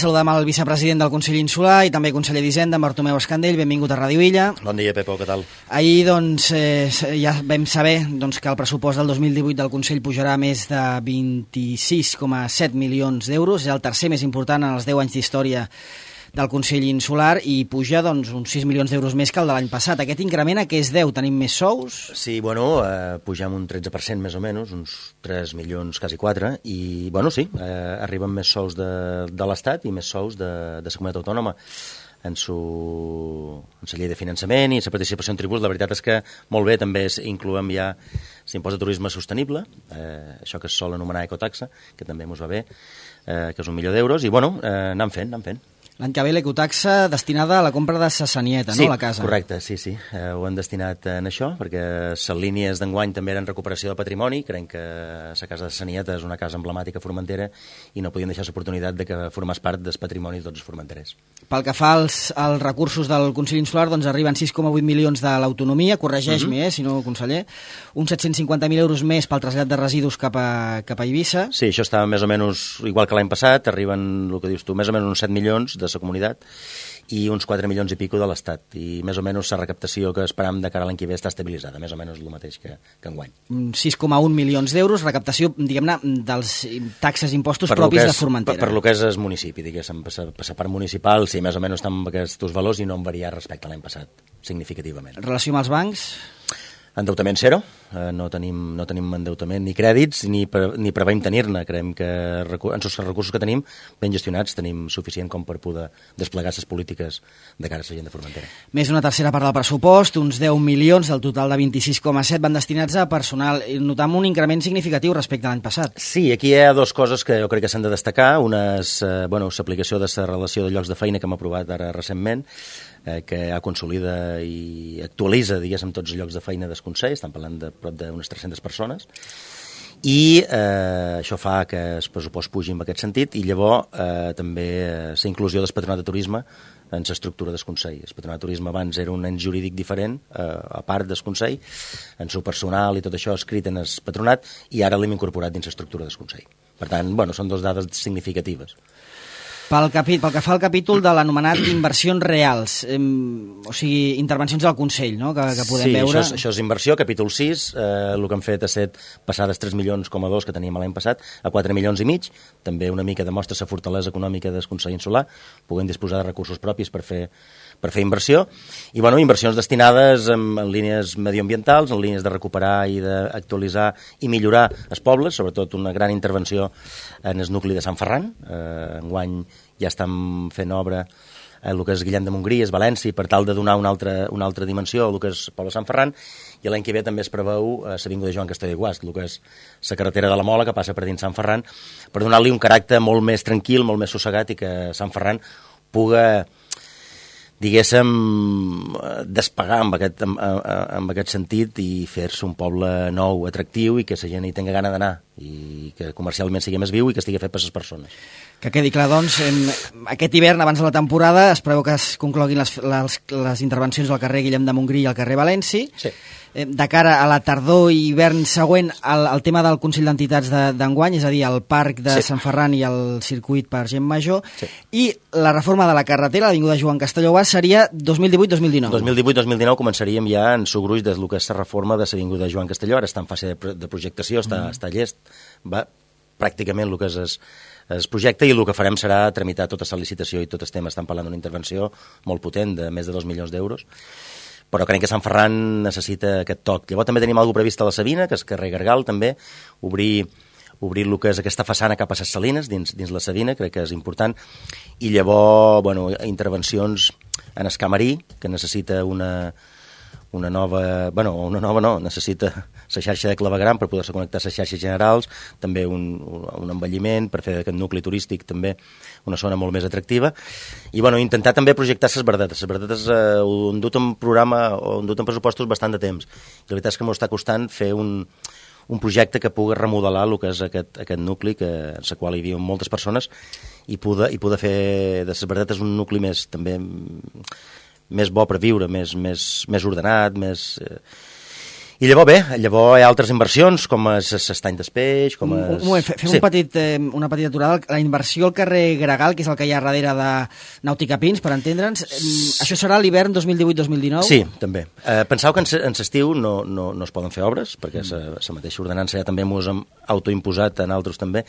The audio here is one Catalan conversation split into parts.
saludem el vicepresident del Consell Insular i també conseller d'Hisenda, Bartomeu Escandell. Benvingut a Ràdio Illa. Bon dia, Pepo, què tal? Ahir ja vam saber que el pressupost del 2018 del Consell pujarà més de 26,7 milions d'euros. És el tercer més important en els 10 anys d'història del Consell Insular i puja uns 6 milions d'euros més que el de l'any passat. Aquest increment a què es deu? Tenim més sous? Sí, pugem un 13% més o menys, uns 3 milions, quasi 4, i sí, arriben més sous de l'Estat i més sous de la comunitat autònoma en la llei de finançament i la participació en tributs. La veritat és que molt bé, també incloem ja l'impost de turisme sostenible, això que es sol anomenar ecotaxa, que també ens va bé, que és 1 milió d'euros, i anem fent. L'any que ve l'ecotaxa destinada a la compra de Sassanieta, no? A la casa. Sí, correcte, sí. Ho hem destinat en això, perquè les línies d'enguany també eren recuperació de patrimoni. Creiem que la casa de Sassanieta és una casa emblemàtica formentera i no podíem deixar l'oportunitat de que formés part del patrimoni de tots els formenterers. Pel que fa als recursos del Consell Insular, arriben 6,8 milions de l'autonomia, corregeix-m'hi, si no, conseller, uns 750.000 euros més pel trasllat de residus cap a Eivissa. Sí, això està més o menys igual que l'any passat, arriben, el que dius tu, més o menys uns 7 milions de la comunitat i uns 4 milions i pico de l'Estat, i més o menys la recaptació que esperam de cara a l'any que ve està estabilitzada, més o menys el mateix que enguany. 6,1 milions d'euros, recaptació, diguem-ne, dels taxes i impostos propis de Formentera. Per lo que és el municipi, diguéssim, per la part municipal, sí, més o menys estan amb aquests valors i no han variat respecte a l'any passat, significativament. Relació amb els bancs? Endeutament zero, no tenim endeutament ni crèdits ni preveiem tenir-ne. Creiem que els recursos que tenim ben gestionats tenim suficient com per poder desplegar les polítiques de cara a la gent de Formentera. Més d'una tercera part del pressupost, uns 10 milions del total de 26,7 van destinats a personal. Notam un increment significatiu respecte a l'any passat. Sí, aquí hi ha dues coses que jo crec que s'han de destacar. Una és l'aplicació de la relació de llocs de feina que hem aprovat ara recentment, que consolida i actualitza, diguéssim, tots els llocs de feina del Consell. Estan parlant de prop d'unes 300 persones, i això fa que el pressupost pugi en aquest sentit, i llavors també la inclusió del Patronat de Turisme en l'estructura del Consell. El Patronat de Turisme abans era un ens jurídic diferent, a part del Consell, en el personal i tot això escrit en el Patronat, i ara l'hem incorporat dins l'estructura del Consell. Per tant, són dues dades significatives. Pel que fa al capítol de l'anomenat inversions reals, o sigui, intervencions del Consell, no?, que podem veure... Sí, això és inversió, capítol 6, el que hem fet ha estat passar dels 3,2 milions que teníem l'any passat a 4,5 milions, també una mica demostra la fortalesa econòmica del Consell Insular, puguem disposar de recursos propis per fer inversió, i inversions destinades en línies medioambientals, en línies de recuperar i d'actualitzar i millorar els pobles, sobretot una gran intervenció en el nucli de Sant Ferran. Enguany ja estem fent obra el que és Guillem de Montgrí, és València, per tal de donar una altra dimensió al que és el poble de Sant Ferran, i l'any que ve també es preveu l'avinguda de Joan Castelló i Guast, el que és la carretera de la Mola que passa per dins Sant Ferran, per donar-li un caràcter molt més tranquil, molt més sossegat, i que Sant Ferran puga, diguéssim, despegar amb aquest sentit i fer-se un poble nou, atractiu, i que la gent hi tingui gana d'anar, i que comercialment sigui més viu i que estigui fet per les persones. Que quedi clar, doncs, aquest hivern, abans de la temporada, es preveu que es concloguin les intervencions al carrer Guillem de Montgrí i al carrer València. Sí. De cara a la tardor i hivern següent, el tema del Consell d'Entitats d'enguany, és a dir, el Parc de Sant Ferran i el circuit per gent major, i la reforma de la carretera, l'avinguda Joan Castelló seria 2018-2019. 2018-2019 començaríem ja en el gruix del que és la reforma de l'avinguda Joan Castelló. Ara està en fase de projectació, està llest, va pràcticament el que és el projecte, i el que farem serà tramitar tota la licitació i tot el tema. Estan parlant d'una intervenció molt potent de més de 2 milions d'euros, però crec que Sant Ferran necessita aquest toc. Llavors també tenim alguna previst a la Sabina, que és carrer Gargal, també, obrir el que és aquesta façana cap a les Salines, dins la Sabina, crec que és important, i llavors, intervencions en el Camarí, que necessita necessita la xarxa de clavegram per poder-se connectar a les xarxes generals, també un embelliment per fer d'aquest nucli turístic també una zona molt més atractiva, i intentar també projectar les verdetes. Les verdetes ho han dut en programa o han dut en pressupostos bastant de temps, i la veritat és que m'ho està costant fer un projecte que pugui remodelar el que és aquest nucli, en el qual hi havia moltes persones, i poder fer de les verdetes un nucli més bo per viure, més ordenat, més... I llavors hi ha altres inversions, com s'estany d'espeix, com Fem una petita aturada. La inversió al carrer Gregal, que és el que hi ha darrere de Nàutica Pins, per entendre'ns, això serà l'hivern 2018-2019? Sí, també. Penseu que en l'estiu no es poden fer obres, perquè la mateixa ordenança ja també mos hem autoimposat en altres també,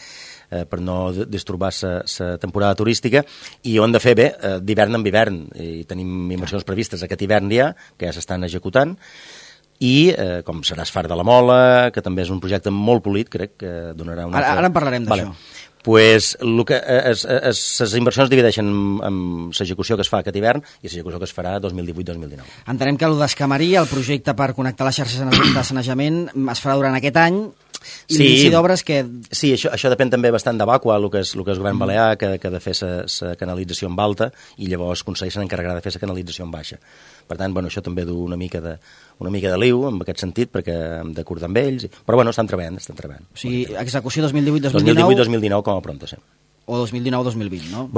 per no disturbar la temporada turística, i ho hem de fer bé d'hivern en hivern, i tenim inversions previstes aquest hivern ja, que ja s'estan executant, i com serà Esfar de la Mola, que també és un projecte molt polit, crec que donarà una... Ara en parlarem d'això. Pues les inversions divideixen en l'execució que es fa aquest hivern i l'execució que es farà 2018-2019. Entenem que el d'Escamarí, el projecte per connectar les xarxes de sanejament, es farà durant aquest any, i l'inici d'obres que... Sí, això depèn també bastant de Bàqua, el que és govern balear, que ha de fer la canalització en alta, i llavors el Consell se n'encarregarà de fer la canalització en baixa. Per tant, això també du una mica de liu, en aquest sentit, perquè hem d'acordar amb ells, però estan treballant. O sigui, execució 2018-2019... 2018-2019 com a pronto, sí. O 2019-2020, no?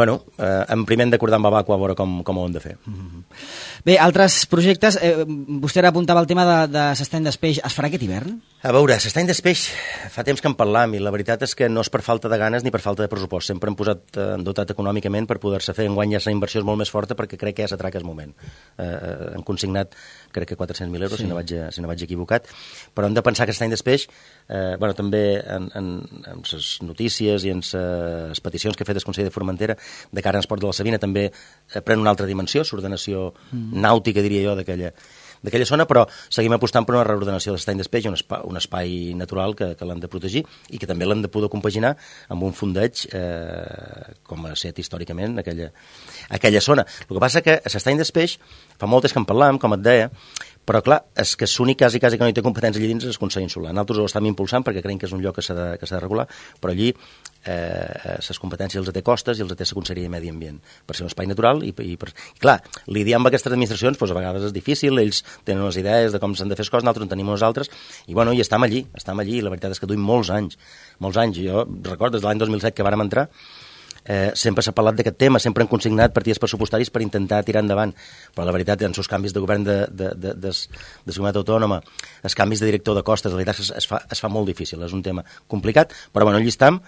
En primer hem d'acordar amb Bàqua a veure com ho hem de fer. Bé, altres projectes, vostè ara apuntava el tema de l'estany d'espeix, es farà aquest hivern? A veure, l'estany d'espeix fa temps que en parlam, i la veritat és que no és per falta de ganes ni per falta de pressupost. Sempre hem dotat econòmicament per poder-se fer. Enguany ja la inversió és molt més forta perquè crec que ja s'atraca el moment. Han consignat, crec que 400.000 euros, sí. si no vaig equivocat, però hem de pensar que l'estany d'espeix, també en les notícies i en les peticions que ha fet el Consell de Formentera de cara al Esport de la Sabina també pren una altra dimensió, l'ordenació nàutica, diria jo, d'aquella zona, però seguim apostant per una reordenació de l'estany d'espeix, un espai natural que l'hem de protegir i que també l'hem de poder compaginar amb un fondeig com ha estat històricament aquella zona. El que passa que l'estany d'espeix fa moltes que en parlam, com et deia, però clar, és que l'únic quasi que no hi té competència allà dins és el Consell Insular. Nosaltres ho estem impulsant perquè creiem que és un lloc que s'ha de regular, però allí les competències els té Costes i els té la Conselleria de Medi Ambient, per ser un espai natural i clar, lidiar amb aquestes administracions a vegades és difícil, ells tenen unes idees de com s'han de fer les coses, nosaltres en tenim unes altres, i i estem allí, i la veritat és que duim molts anys. Jo recordo, des de l'any 2007 que vàrem entrar, sempre s'ha parlat d'aquest tema, sempre han consignat partides pressupostaris per intentar tirar endavant, però la veritat, en els canvis de govern de comunitat autònoma, els canvis de director de Costes, la veritat es fa molt difícil, és un tema complicat, però allí estem,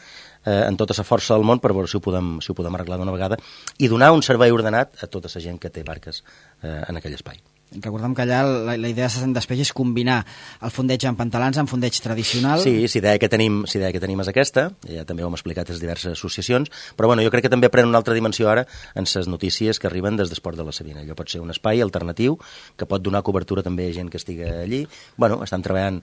en tota la força del món per veure si ho podem arreglar d'una vegada i donar un servei ordenat a tota la gent que té barques en aquell espai. Recordem que allà la idea de l'estany d'espeix és combinar el fondeig en pantalans amb fondeig tradicional. Sí, la idea que tenim és aquesta, ja també ho hem explicat a les diverses associacions, però jo crec que també pren una altra dimensió ara en les notícies que arriben des d'Esport de la Sabina. Allò pot ser un espai alternatiu que pot donar cobertura també a gent que estigui allí. Estan treballant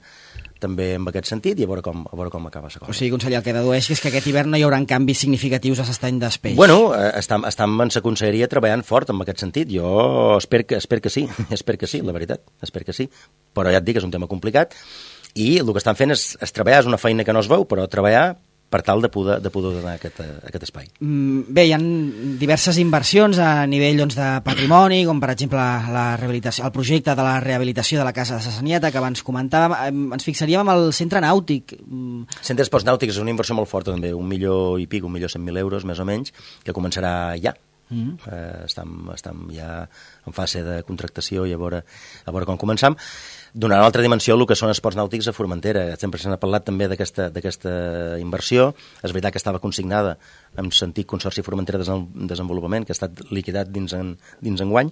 també en aquest sentit i a veure com acaba la cosa. O sigui, conseller, el que dedueix és que aquest hivern no hi haurà canvis significatius a l'estany d'espeix. Estem en la conselleria treballant fort en aquest sentit. Jo espero que sí, la veritat, espero que sí. Però ja et dic, és un tema complicat i el que estan fent és treballar, és una feina que no es veu, però treballar per tal de poder donar aquest espai. Bé, hi ha diverses inversions a nivell de patrimoni, com per exemple la rehabilitació, el projecte de la rehabilitació de la Casa de la Sanieta, que abans comentàvem. Ens fixaríem en el centre nàutic. Centre d'esports nàutics és una inversió molt forta, també, 1 milió i pico, 1.100.000 euros, més o menys, que començarà ja. Estem ja en fase de contractació i a veure com començam. Donarà una altra dimensió el que són esports nàutics a Formentera. Sempre se n'ha parlat també d'aquesta inversió. És veritat que estava consignada en sentit Consorci Formentera de Desenvolupament, que ha estat liquidat dins enguany.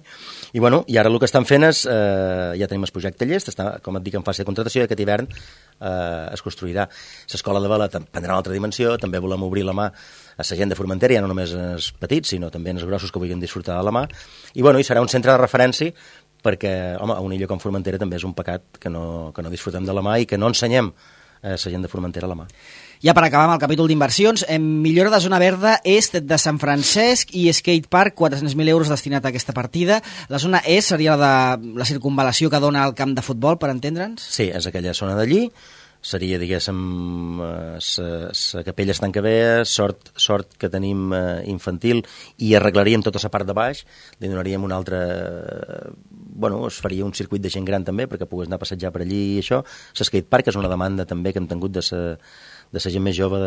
I ara el que estan fent és, ja tenim el projecte llest, està, com et dic, en fase de contractació, i aquest hivern es construirà. L'escola de vela prendrà una altra dimensió, també volem obrir la mà a la gent de Formentera, ja no només els petits, sinó també els grossos que vulguin disfrutar de la mà. I serà un centre de referència perquè, a una illa com Formentera també és un pecat que no disfrutem de la mà i que no ensenyem a la gent de Formentera la mà. Ja per acabar amb el capítol d'inversions, millora de zona verda est de Sant Francesc i skatepark, 400.000 euros destinat a aquesta partida. La zona est seria la circunvalació que dona al camp de futbol, per entendre'ns? Sí, és aquella zona d'allí. Seria, diguéssim, la capella estan que bé, sort que tenim infantil, i arreglaríem tota la part de baix, li donaríem un altre... es faria un circuit de gent gran també, perquè pogués anar a passejar per allí i això. L'skatepark és una demanda també que hem tingut de la gent més jove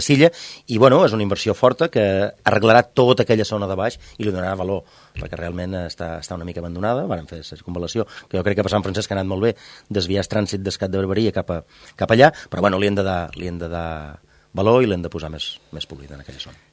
Silla, i bueno, és una inversió forta que arreglarà tota aquella zona de baix i li donarà valor, perquè realment està una mica abandonada. Van fer la circunvalació, que jo crec que per Sant Francesc ha anat molt bé, desviar el trànsit d'Escat de Barberia cap allà, però bueno, li hem de dar valor i l'hem de posar més polida en aquella zona.